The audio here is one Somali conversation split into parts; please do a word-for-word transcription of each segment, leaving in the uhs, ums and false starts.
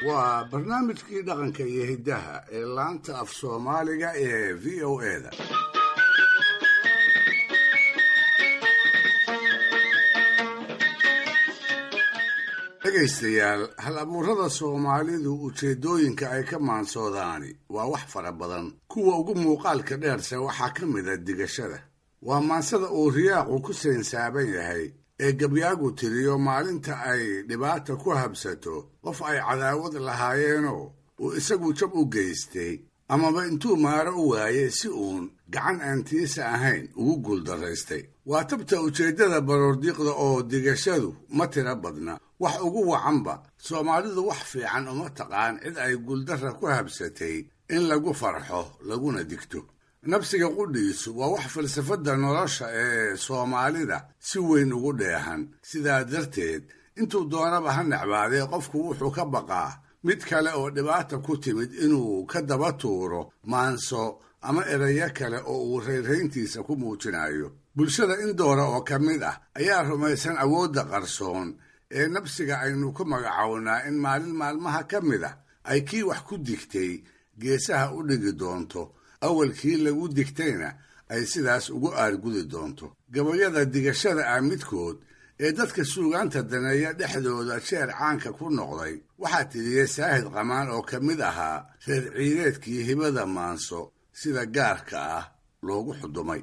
Waa barnaamijkii dhaqanka iyo hiddaha ee laanta af Soomaaliga ee V O A-da. Dhegaystayaal, hal abuurada Soomaalidu ujeeddooyinka ay ka maansoodaani waa wax fara badan. Kuwa ugu muuqaalka dheerse waxaa ka mid a digashada. Waa maansada uu riyaaqu ku sainsaaban yahay ee gabyaagu tiriyo maalinta ay dhibaata ku habsato qof ay cadaawad lahaayeenoo uu isagu jab u geystay amaba intuu maaro u waayey si uun gacan aan tiisa ahayn ugu guuldaraystay. Waa tabta ujeeddada baroordiiqda oo digashadu ma tira badna. Wax ugu wacanba Soomaalidu wax fiican uma taqaan cid ay guuldarra ku habsatay in lagu farxo laguna digto. Nabsiga qudhiisu waa wax falsafadda nolosha ee Soomaalida si weyn ugu dheehan. Sidaa darteed intuu doonaba ha necbaadee qofku wuxuu ka baqaa mid kale oo dhibaata ku timid inuu ka daba tuuro maanso ama erayo kale oo uu rayrayntiisa ku muujinayo. Bulshada in doora oo ka mid ah ayaa rumaysan awoodda qarsoon ee nabsiga aynu ku magacownaa in maalin maalmaha ka mid ah ay kii wax ku digtay geesaha u dhigi doonto, awalkii lagu digtayna ay sidaas ugu aargudi doonto. Gabayada digashada ah midkood ee dadka suugaanta daneeya dhexdooda jeer caanka ku noqday waxaa tiriyey Saahid Qamaan oo ka mid ahaa reer ciideedkii hibada maanso sida gaarka ah loogu xudumay.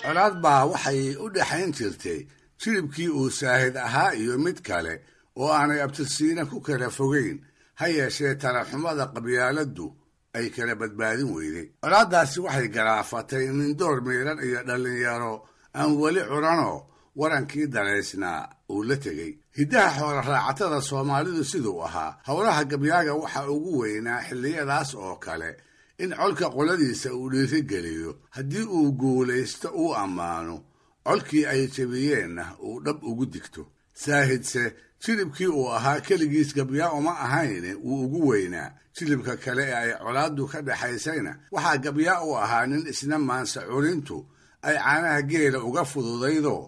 Colaad baa waxay u dhexayn jirtay jilibkii uu Saahid ahaa iyo mid kale oo aanay abtirsiina ku kala fogeyn, ha yeeshee talaxumada qabyaaladdu ay kala badbaadin weyday. Colaaddaasi waxay garaafatay nindoor miidhan iyo dhallinyaro aan weli curanoo warankii dalaysnaa uu la tegey. Hiddaha xoola raacatada Soomaalidu siduu ahaa, howlaha gabyaaga waxaa ugu weynaa xilliyadaas oo kale in colka qoladiisa uu dhiirigeliyo, haddii uu guulaysto uu ammaano, colkii ay jebiyeenna uu dhab ugu digto. Saahidse jilibkii uu ahaa keligiis gabyaa uma ahayne wuu ugu weynaa. Jilibka kale ee ay colaaddu ka dhexaysayna waxaa gabyaa u ahaa nin isna maansa curintu ay caanaha geela uga fududaydoo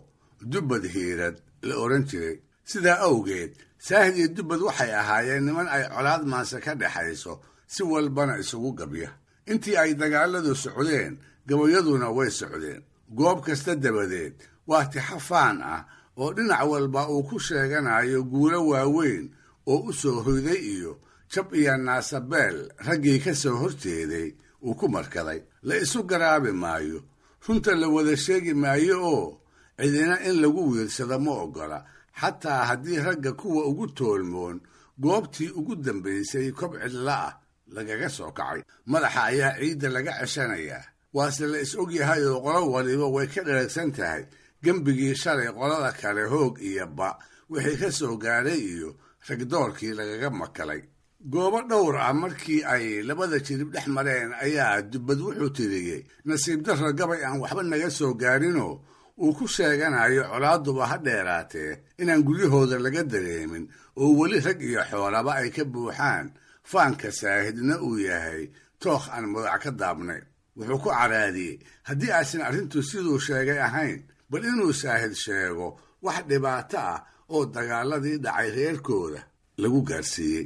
Dubbad Hiirad la odhan jiray. Sidaa awgeed Saahid iyo Dubbad waxay ahaayeen niman ay colaad maanse ka dhexayso, si walbana isugu gabya. Intii ay dagaalladu socdeen gabayaduna way socdeen. Goob kasta dabadeed waa tixafaan ah oo dhinac walba uu ku sheeganayo guulo waaweyn oo u soo hoyday iyo jab iyo naasabeel raggii ka soo horjeeday uu ku markaday. La isu garaabi maayo, runta la wada sheegi maayo oo cidina in lagu wiirsado ma oggola, xataa haddii ragga kuwa ugu toolmoon goobtii ugu dambaysay kob cidla ah lagaga soo kacay. Madaxa ayaa ciidda laga ceshanayaa, waase la is og yahay oo qolo waliba way ka dheragsan tahay gembigii shalay qolada kale hoog iyo ba wixii ka soo gaadhay iyo ragdoorkii lagaga makalay. Goobo dhowr ah markii ay labada jirib dhex mareen ayaa Dubbad wuxuu tiriyey nasiib darro gabay aan waxba naga soo gaarinoo uu ku sheeganayo colaaduba ha dheeraatee inaan guryahooda laga dareemin oo weli rag iyo xoolaba ay ka buuxaan, faanka Saahidna uu yahay tookh aan mudac ka daabnayn. Wuxuu ku caraadiyey haddii aysan arrintu siduu sheegay ahayn, bal inuu Saahid sheego wax dhibaato ah oo dagaaladii dhacay reerkooda lagu gaarsiiyey.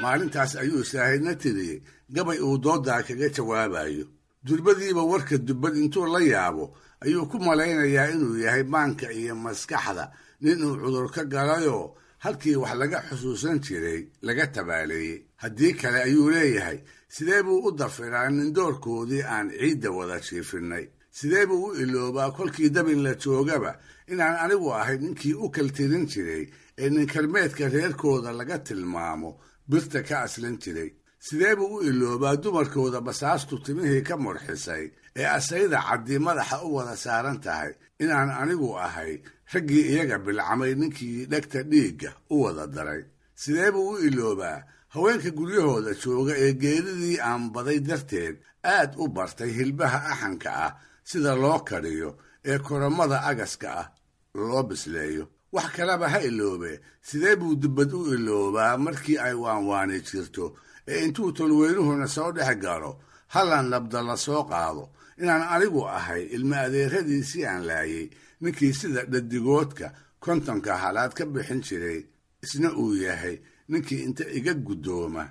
Maalintaas ayuu Saahidna tiriyey gabay uu dooddaa kaga jawaabayo. Durbadiiba warka Dubbad intuu la yaabo ayuu ku malaynayaa inuu yahay maanka iyo maskaxda nin uu cudur ka galayoo halkii wax laga xusuusan jiray laga tabaaleeyey. Haddii kale ayuu leeyahay, sidee buu u dafiraa nindoorkoodii aan ciidda wada jiifinnay? Sidee buu u iloobaa kolkii dabin la joogaba inaan anigu ahay ninkii u kaltirin jiray ee ninkarmeedka reerkooda laga tilmaamo birta ka aslan jiray? Sidee buu u iloobaa dumarkooda basaastu timihii ka murxisay ee asayda caddi madaxa u wada saaran tahay inaan anigu ahay raggii iyaga bilcamay ninkii dhegta dhiigga u wada daray? Sidee buu u iloobaa Haweenka guryahooda jooga ee geeridii aan baday darteed aad u bartay hilbaha axanka ah sida loo kariyo ee koramada agaska ah loo bisleeyo. Wax kaleba ha iloobe, sidee buu dubbad u iloobaa markii ay waanwaani jirto ee intuu tolweynuhuna soo dhex galo hallan labda la soo qaado inaan anigu ahay ilma adeeradiisii aan laayay ninkii sida dhadigoodka kontonka halaad ka bixin jiray, isna uu yahay ninkii inta iga guddooma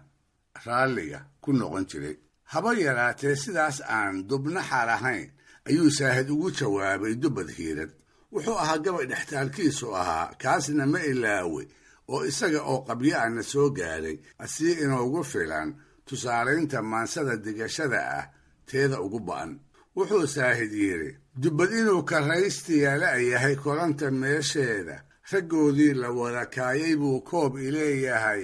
raalliga ku noqon jiray. Haba yaraatee sidaas aan dubnaxa lahayn ayuu Saahid ugu jawaabay dubbad hiirad. Wuxuu ahaa gabay dhextaalkiisu ahaa, kaasna ma ilaawey oo isaga oo qabyo-ana soo gaaray asii inoogu filan tusaalaynta maansada digashada ah teeda ugu ba'an. Wuxuu Saahid yidhi, dubbad inuu karraystiyaala yahay koranta meesheeda, raggoodii la wada kaayay buu koob ileeyahay,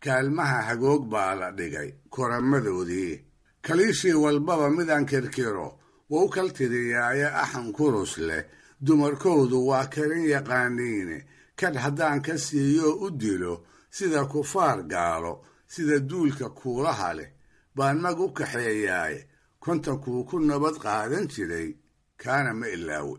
kaalmaha hagoog baa la dhigay koramadoodii. Kaliishii walbaba midaan kirkiro wou kal tiriyaaye axan kurus leh, dumarkoodu waa karin yaqaaniine, kadh haddaan ka siiyo u dilo sida kufaar gaalo, sida duulka kuulaha leh baan mag u kaxeeyaaye, kontonkuu ku nabad qaadan jiray kaana ma ilaawe.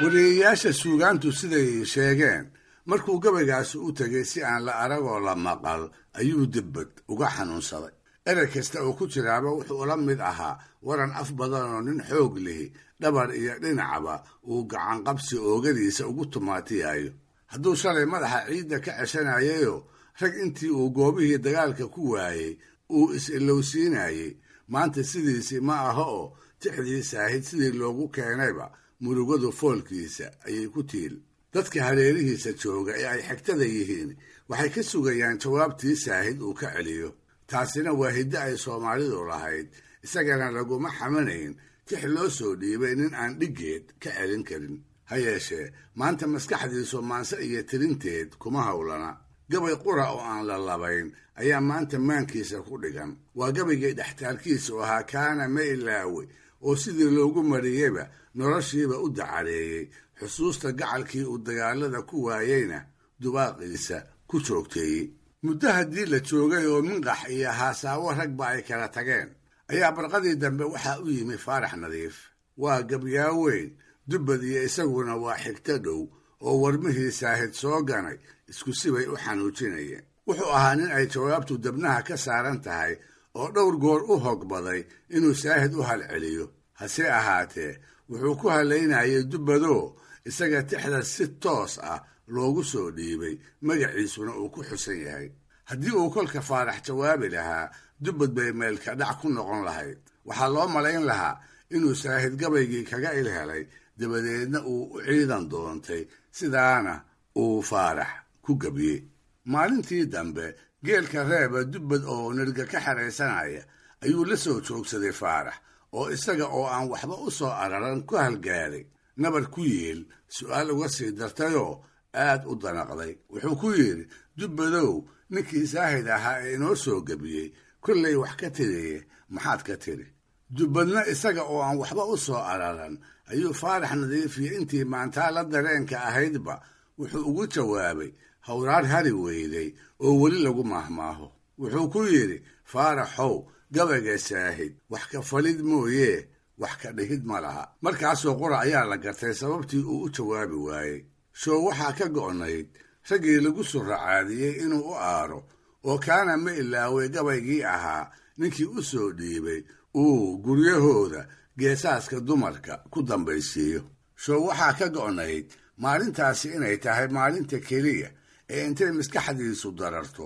Wariyeyaasha suugaantu siday sheegeen, markuu gabaygaasi u tegay si aan la aragoo la maqal ayuu dibbad uga xanuunsaday. Erey kasta oo ku jiraaba wuxuu ula mid ahaa waran af badanoo nin xoog lihi dhabar iyo dhinacba uu gacanqabsi oogadiisa ugu tumaatiyayo. Hadduu shalay madaxa ciidda ka ceshanayayoo rag intii uu goobihii dagaalka ku waayey uu is-ilowsiinayey, maanta sidiisii ma aha oo tixdii Saahid sidii loogu keenayba murugadu foolkiisa ayay ku tiil. Dadka hareerihiisa jooga ee ay xigtada yihiin waxay ka sugayaan jawaabtii Saahid uu ka celiyo. Taasina waa hiddo ay Soomaalidu lahayd, isagana laguma xamanayn tix loo soo dhiibay nin aan dhiggeed ka celin karin. Ha yeeshee maanta maskaxdiisu maanse iyo tirinteed kuma howlana. Gabay qura oo aan la labayn ayaa maanta maankiisa ku dhigan. Waa gabaygii dhextaalkiisu ahaa kaana ma ilaawe oo sidii loogu mariyeyba noloshiiba u dacareeyey, xusuusta gacalkii uu dagaalada ku waayeyna dubaaqiisa ku joogteeyey. Muddo haddii la joogay oo minqax iyo haasaawo ragba ay kala tageen ayaa barqadii dambe waxaa u yimi Faarax Nadiif. Waa gabyaaweyn, dubbad iyo isaguna waa xigto dhow oo warmihii Saahid soo ganay isku sibay u xanuujinayeen. Wuxuu ahaa nin ay jawaabtu dabnaha ka saaran tahay oo dhowr goor u hogbaday inuu Saahid u halceliyo. Hase ahaatee wuxuu ku halaynayay dubbadoo isaga tixda si toos ah loogu soo dhiibay, magaciisuna uu ku xusan yahay. Haddii uu kolka Faarax jawaabi lahaa, dubbad bay meelka dhac ku noqon lahayd. Waxaa loo malayn lahaa inuu Saahid gabaygii kaga ilhelay, dabadeedna uu u ciidan doontay, sidaana uu Faarax ku gabiyey. Maalintii dambe geelka reeba dubbad oo nirga ka xeraysanaya ayuu la soo joogsaday Faarax, oo isaga oo aan waxba u soo araran ku halgaaday nabar ku yeel su'aal uga sii dartayoo aad u danaqday. Wuxuu ku yidhi, dubbadow, ninkii Saahid ahaa ee inoo soo gebiyey kollay wax ka tiriye, maxaad ka tiri? Dubbadna isaga oo aan waxba u soo araran ayuu Faarax Nadiifiyo intii maantaa la dareenka ahaydba wuxuu ugu jawaabay hawraar hari weyday oo weli lagu maahmaaho. Wuxuu ku yidhi, Faaraxow, gabayga Saahid wax ka falid mooyee wax ka dhihid ma laha. Markaasoo qura ayaa la gartay sababtii uu u jawaabi waayey. Show waxaa ka go'nayd raggii lagu suracaadiyey inuu u aaro, oo kaana ma ilaaway gabaygii ahaa ninkii u soo dhiibay uu guryahooda geesaaska dumarka ku dambaysiiyo. Show waxaa ka go'nayd maalintaasi inay tahay maalinta keliya ee intay maskaxdiisu dararto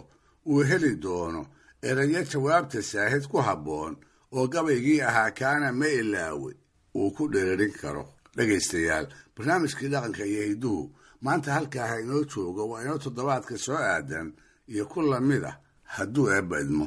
uu heli doono erayo jawaabta Saahid ku habboon oo gabaygii ahaa kaana ma ilaaway uu ku dhererin karo. Dhegaystayaal, barnaamijkii dhaqanka iyo hidduhu maanta halkaa ha inoo joogo, waa inoo toddobaadka soo aadan iyo ku lamid ah hadduu eebba idmo.